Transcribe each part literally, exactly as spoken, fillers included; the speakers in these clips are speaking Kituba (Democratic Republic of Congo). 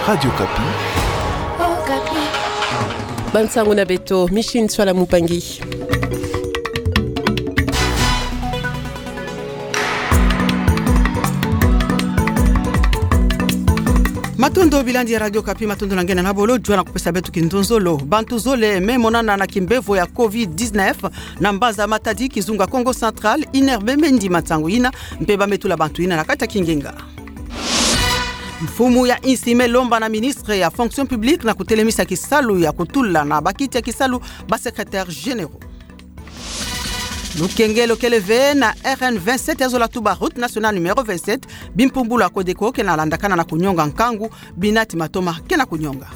Radio Okapi. Bansango na beto, Micheline Nswala Mupangi. Matondo bilandi ya Radio Okapi, matondo na nge na bolo jua na kupesa beto kinzonzolo. Bantu zole me monana na kimbevo ya covid dix-neuf na mbanza Matadi, kizunga Kongo Central, inerbe me ndima nsangu yina, mpe ba me tula bantu yina na kati ya kingenga. Mfumu ya insi me lomba na ministre ya fonction publique na kutelemisa kisalu ya kutula na bakiti ya kisalu ba secrétaires généraux. Lukengelo kele ve na R N vingt-sept ya zola tuba, route nationale numéro vingt-sept, bimpumbulu ya Codeco ke na landakana na kunyonga nkangu, binati matoma ke na kunyonga.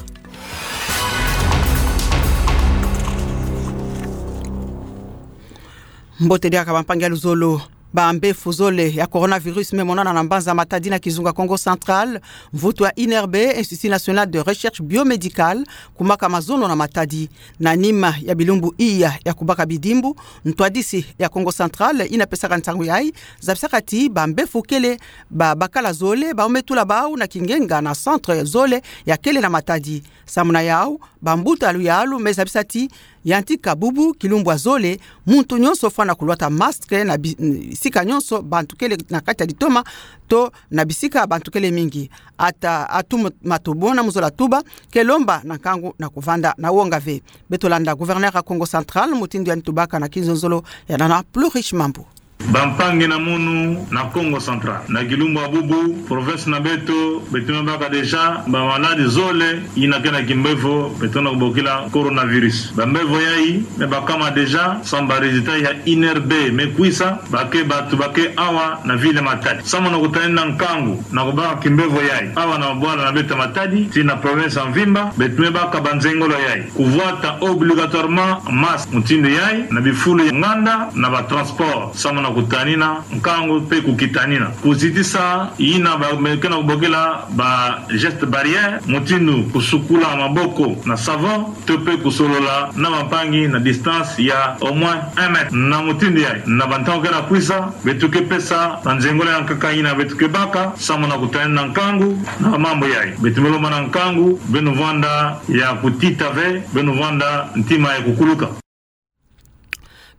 Mbote diaka bampangi ya luzolo. Bambefu zole ya coronavirus me monana na mbanza Matadi na kizunga Kongo Central, mvutu ya INRB, Institut National de Recherche Biomédicale, kumaka mazono na Matadi. Na nima ya bilumbu iya ya kubaka bidimbu, ntwadisi ya Kongo Central yina pesaka nsangu yayi zabisaka ti bambefu kele ba bakala zole, bau me tula bau na kingenga na centre zole ya kele na Matadi. Samu na yau, bambuta luyalu me zabisa ti yantika bubu kilumbu ya zole, muntu nyonso fwana kulwata masque na bi-, sika nyonso bantu kele na kati ya ditoma, to na bisika bantu kele mingi. Ata atu matobo na muzola tuba, ke lomba na nkangu na kuvanda na wonga ve. Beto landa gouverneur ya Kongo Central, mutindu yandi tubaka na kinzonzolo ya nana Plus Riche Mambu. Bampangi na munu na Kongo Central. Na kilumbu ya bubu, province na beto, beto me baka déjà ba maladi zole yina ke na kimbevo beto na kubokila coronavirus. Bambevo yayi me bakama déjà, samu ba résultat ya INRB me kwisa, ba ke batu ba ke awa na ville Matadi. Samu na kutanina nkangu na kubaka kimbevo yayi awa na bwala na beto Matadi, tii na province ya mvimba, beto me baka banzengolo yayi. Kuvwata obligatoirement masque, mutindu yayi, na bifulu ya nganda, na ba transport, samu na kutanina nkangu mpe kukitanina. Kuzitisa yina ba me ke na kubokila ba gestes barrières, mutindu kusukula maboko na savon, to mpe kusolola na bampangi na distance ya au moins un mètre. Na mutindu yayi, na bantangu ke na kwisa, beto ke pesa banzengolo ya nkaka yina beto ke baka, samu na kutanina nkangu na mambu yayi. Beto me lomba na nkangu, beno vwanda ya kutita ve, beno vwanda ntima ya kukuluka.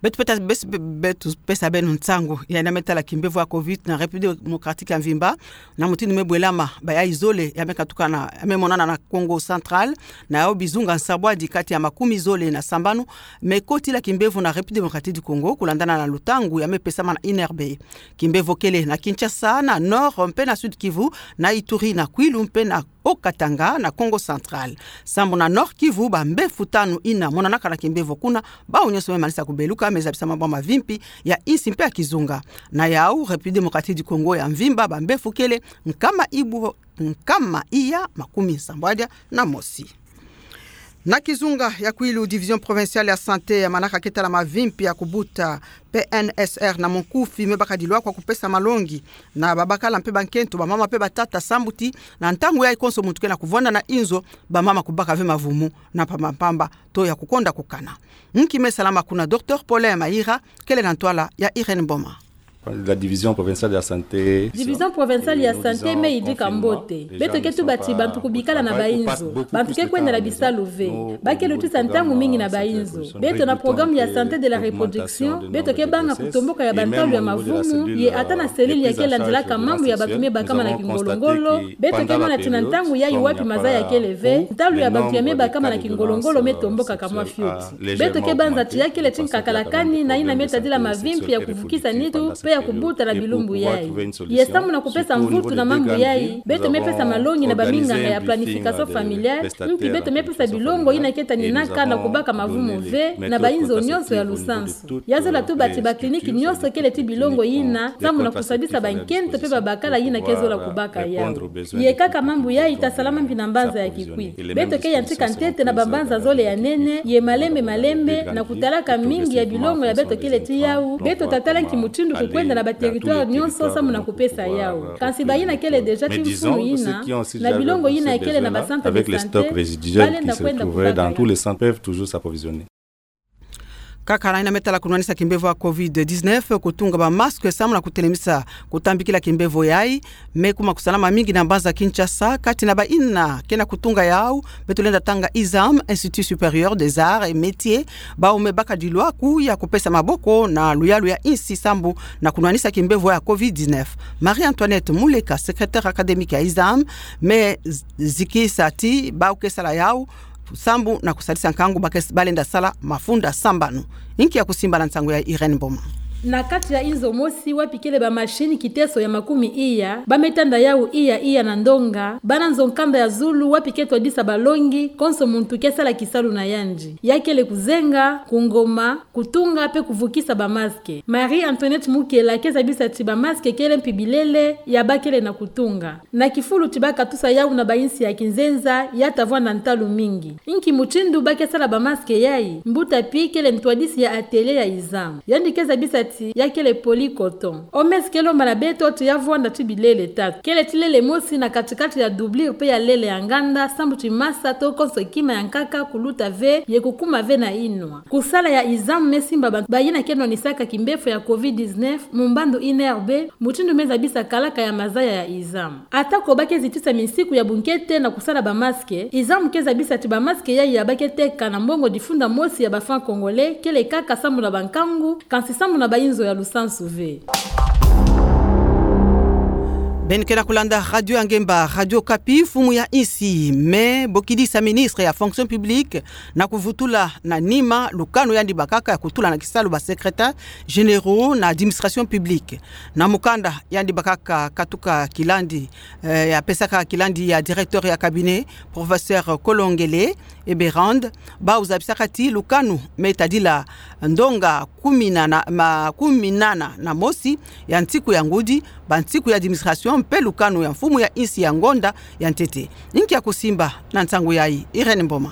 Beto peta-, bes-, be-, beto pesa beno nsangu ya yina me tala kimbevo ya covid na République Démocratique ya mvimba, na mutindu me bwelama, bayayi zole ya me katukana, ya me monana na Kongo Central, na yau bizunga nsambwadi kati ya makumi zole na sambanu me kotila kimbevo na République Démocratique du Congo, kulandana na lutangu ya me pesama na INRB. Kimbevo kele na Kinshasa, na Nord mpe na Sud Kivu, na Ituri, na Kwilu mpe na Haut-Katanga na Kongo Central. Samu na Nord Kivu, bambefu tanu yina monanaka na kimbevo kuna, bau nyonso me manisa kubeluka, me zabisa mabwa mavimpi ya insi mpe ya kizunga. Na yau, République Démocratique du Congo ya mvimba, bambefu kele nkama ibu-, nkama iya makumi nsambwadi na mosi. Na kizunga ya Kwilu, Division Provinciale ya Santé ya manaka ke tala mavimpi ya kubuta, P N S R na monkufi, me baka dilwa kwa kupesa malongi na babakala mpe bankento, bamama mpe batata, sambu ti na ntangu yayi konso muntu ke na kuvwanda na inzo, bamama kubaka ve mavumu na mpamba mpamba to ya kukonda kukana. Nki me salama kuna? Docteur Paulin Mayira kele na ntwala ya Irène Mboma. La Division Provinciale de la Santé. Division Provinciale ya Santé me yidika mbote. Beto ke tuba ti bantu kubikala na bainzo. Bantu ke kwenda na bisalu ve. Ba ke lutisa ntangu mingi na bainzo. Beto na programme ya santé de la reproduction, beto ke banga kutomboka ya bantalu ya mavumu, ye ata na cellule ya ke landilaka mambu ya bantu me bakama na kingolongolo. Beto ke mona ti na ntangu yayi wapi maza ya kele ve, ntalu ya bantu ya me bakama na kingolongolo me tomboka ka mwa fioti. Beto ke banza ti ya kele ti nkakala kani na yina me tadila mavimpi ya kuvukisa nitu, mpe ya kubuta na bilumbu yayi. Ye samu na kupesa mvutu na mambu yayi, beto me pesa malongi na baminganga ya planification familiale, mpi beto me pesa bilongo yina ke taninaka na kubaka mavumu ve na bainzo nyonso ya lusansu. Ya zola tuba ti ba clinique nyonso kele ti bilongo yina, samu na kusadisa bankento mpe babakala yina ke zola kubaka yau. Ye kaka mambu yayi ta salama mpi na mbanza ya kikwi. Beto ke yantika ntete na bambanza zole ya nene, ye malembe malembe, na kutalaka mingi ya bilongo ya beto kele ti yau, beto ta tala nki mutindu kukwenda na ba territoire nyonso samu na kupesa yau. Kansi bayina kele déjà ti mfunu yina, na bilongo yina kele na ba centre de santé, ba lenda kwenda kubaka yau. Kaka na yina me tala kunwanisa kimbevo ya covid dix-neuf, kutunga ba masque samu na kutelemisa kutambikila kimbevo yayi, me kuma kusalama mingi na mbanza Kinshasa, kati na bayina ke na kutunga yawu, beto lenda tanga ISAM, Institut Supérieur des Arts et Métiers, bawu me baka dilwaku ya kupesa maboko na luyalu ya insi sambu na kunwanisa kimbevo ya covid dix-neuf. Marie-Antoinette Muleka, secrétaire académique ya ISAM, me z-, zikisa ti bawu ke sala yawu sambu na kusadisa nkangu ba ke s-, balenda sala mafunda sambanu. Inki ya kusimba na nsangu ya Irène Mboma? Na kati ya inzo mosi wapi kele ba machine kiteso ya makumi iya, ba me tanda yawu iya iya na ndonga, bana nzo nkanda ya zulu wapi ke twadisa balongi, konso muntu ke sala kisalu na yandi. Ya kele kuzenga, kungoma, kutunga pe kuvukisa ba masque. Marie-Antoinette Muleka ke zabisa ti ba masque kele mpi bilele ya ba kele na kutunga. Na kifulu ti ba katusa yawu na ba insi ya kinzenza, ya ta vwanda ntalu mingi. Inki mutindu ba ke sala ba masque yayi? Mbuta Pi kele ntwadisi ya atelier ya ISAM. Yandi ke zabisa ti ya kele polycoton. Omes ke lomba na beto ti ya vwanda ti bilele tatu. Kele ti lele mosi na kati-kati ya doublure pe ya lele ya nganda, sambu ti masa to konso kima ya nkaka kuluta ve, ye kukuma ve na inwa. Kusala ya ISAM me simba ba, bayina ke nwanisaka kimbevo ya covid dix-neuf, mu mbandu INRB, mutindu me zabisa kalaka ya mazaya ya ISAM. Ata ko ba ke zitisa minsiku ya bunkete na kusala ba masque, ISAM ke zabisa ti ba masque yayi ya ba ke teka na mbongo difunda mosi ya ba francs congolais, kele kaka sambu na ba nkangu, kansi sambu na ba inzo ya lusansu ve. Beno ke na kulanda Radio ya Ngemba, Radio Okapi, mfumu ya insi me bokidisa ministre ya fonction publique na kuvutula na nima lukanu yandi bakaka ya kutula na kisalu ba secrétaires généraux na administration publique. Na mukanda yandi bakaka katuka kilandi, eh, ya pesaka kilandi ya directeur ya cabinet, professeur Kolongele Eberande, bawu zabisaka ti lukanu me tadila ndonga kumi na, na, ma, kumi na nana na mosi ya nsiku ya ngudi, ba nsiku ya administration, mpe lukanu ya mfumu ya insi ya ngonda ya ntete. Inki ya kusimba na nsangu yayi, Irène Mboma?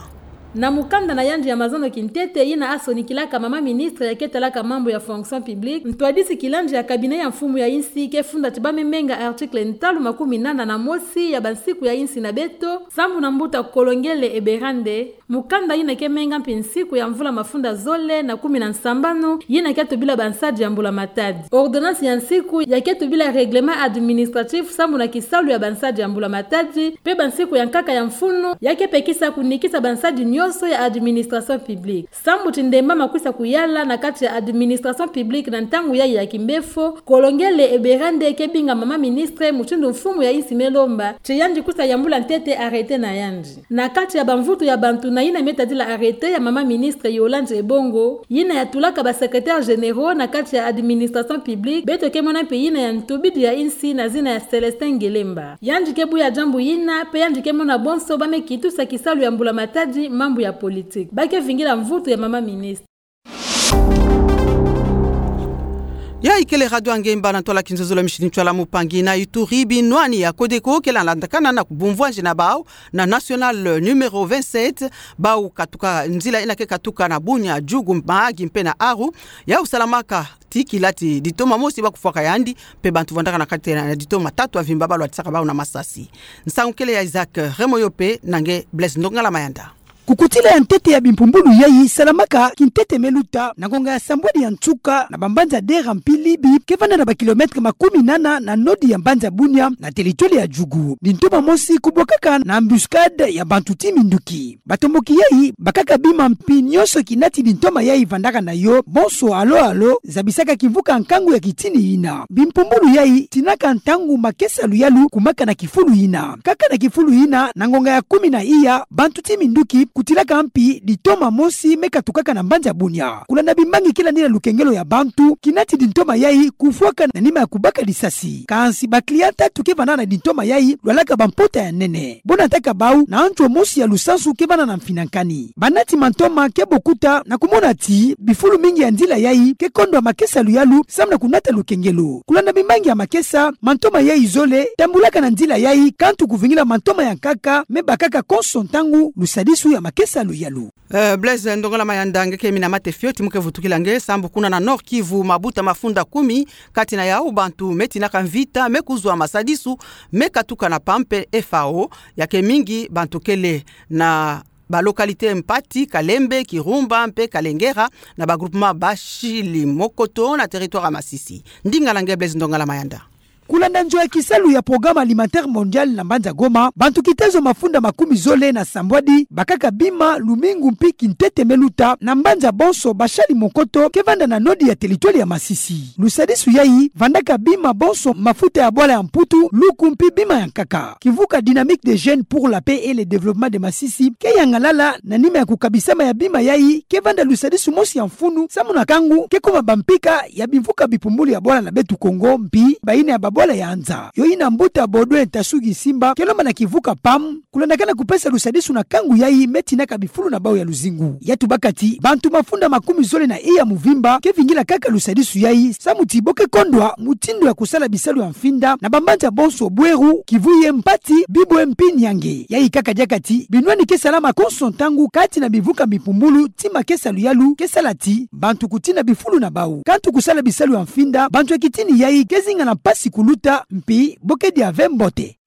Na mukanda na yandi ya mazono kintete yina asonikilaka mama ministre ya ke talaka mambu ya fonction publique, ntwadisi kilandi ya cabinet ya mfumu ya insi ke funda ti ba me menga article ntalu makumi nana na mosi ya ba nsiku ya insi na beto, sambu na mbuta Kolongele Eberande, mukanda yina ke menga mpi nsiku ya mvula mafunda zole na kumi na nsambanu, yina ke tubila ba nsadi ya mbula matadi. Ordonnance ya nsiku ya ke tubila règlement administratif sambu na kisalu ya ba nsadi ya mbula matadi, mpe ba nsiku ya nkaka ya mfunu ya ke pekisa kunikisa ba nsadi nyonso ya administration publique. Sambu ti ndemba makwisa kuyala na kati ya administration publique na ntangu yayi ya kimbevo, Kolongele Eberande ke binga mama ministre mutindu mfumu ya insi me lomba, ti yandi kwisa yambula ntete arrêté na yandi. Na kati ya ba mvutu ya bantu na yina me tadila arrêté ya mama ministre Yolande Ebongo, yina ya tulaka ba secrétaires généraux na kati ya administration publique, beto ke mona mpe yina ya ntubidi ya insi na zina ya Célestin Ngelemba. Yandi ke buya diambu yina, mpe yandi ke mona bonso ba me kitusa kisalu ya mbula matadi mambu ya politique. Ba ke vingila mvutu ya mama ministre. Yayi kele Radio ya Ngemba na ntwala kinzonzolo ya mishini ntwala mupangi na Ituri, binwani ya Codeco ke landakana na kubumvwanji na bawu na nationale numéro vingt-sept, bawu katuka nzila yina ke katuka na Bunia, Djugu, Mahagi mpe na Aru, yawu salamaka ti kila ti ditoma mosi ba kufwaka yandi, mpe bantu vwandaka na kati na ditoma tatu ya mvimba ba lwatisaka bawu na masasi. Nsangu kele ya Isaac Remoyope na nge Blaise Ndongala Mayanda. Kukutila ya ntete ya bimpumbulu yayi salamaka kintete me luta na ngonga ya sambwadi ya nsuka na bambanza Dera mpi Libi, ke vanda na ba kilomètre makumi nana na nodi ya mbanza Bunia na territoire ya Djugu. Ditoma mosi kubwakaka na embuscade ya bantu ti minduki. Batomboki yayi bakaka bima mpi nyonso kina ti ditoma yayi vandaka na yo, bonso alo alo zabisaka kimvuka nkangu ya kitini yina. Bimpumbulu yayi tinaka ntangu makesa luyalu kumaka na kifulu yina. Kaka na kifulu yina, na ngonga ya kumi na iya, bantu ti minduki kutilaka mpi ditoma mosi me katukaka na mbanza Bunia. Kulanda bimbangi kila nina lukengelo ya bantu kina ti ditoma yayi kufwaka na nima ya kubaka lisasi. Kansi ba client tatu ke vanda na ditoma yayi lwalaka bampota ya nene. Bo nataka bawu na ntswa mosi ya lusansu ke vanda na mfinankani. Banati mantoma ke bokuta na kumona ti bifulu mingi ya nzila yayi ke kondwa makesa luyalu samu na kunata lukengelo. Kulanda bimbangi ya makesa, mantoma yayi zole tambulaka na nzila yayi, kantu kuvingila mantoma ya nkaka me bakaka konso ntangu lusadisu ya makesa luyalu. Eh, Blaise Ndongala Mayanda, nge ke mina mate fioti mu ke vutukila nge, sambu kuna na Nord-Kivu, mabuta mafunda kumi, kati na yawu bantu me tinaka mvita me kuzwa masadisu me katuka na pampe F A O, ya ke mingi bantu kele na ba localité Mpati, Kalembe, Kirumba mpe Kalengera, na ba groupement Bashali Mokoto na territoire ya Masisi. Ndinga na nge Blaise Ndongala Mayanda. Kulanda nzo ya kisalu ya Programme Alimentaire Mondial na mbanza Goma, bantu kitezo mafunda makumi zole na sambwadi bakaka bima lumingu mpi kintete me luta na mbanza bonso Bashali Mokoto ke vanda na nodi ya territoire ya Masisi. Lusadisu yayi vandaka bima bonso mafuta ya bwala ya Mputu, luku mpi bima ya nkaka. Kivuka Dynamique des Jeunes pour la Paix et le Développement de Masisi ke yangalala na nima ya kukabisama ya bima yayi, ke vanda lusadisu mosi ya mfunu samu na kangu ke kuma bampika ya bimvuka bipumbulu ya bwala na beto Kongo mpi bayina ya babwala ya nza. Yo yina mbuta Baudouin Ntasu Gisimba ke lomba na kivuka pam kulandakana kupesa lusadisu na kangu yayi me tinaka bifulu na bawu ya luzingu. Ya tubaka ti bantu mafunda makumi zole na iya muvimba ke vingila kaka lusadisu yayi samu ti bo ke kondwa mutindu ya kusala bisalu ya mfinda na bambanza bonso Bweru, Kivuye, Mpati, Bibwe mpi Niange. Yayi kaka diaka ti binwani ke salama konso ntangu kati na bimvuka bipumbulu, tima ke salu yalu ke sala ti bantu kutina bifulu na bawu. Kantu kusala bisalu ya mfinda, bantu ya kitini yayi ke zinga na mpasi kuluta mpi bo ke dia ve mbote.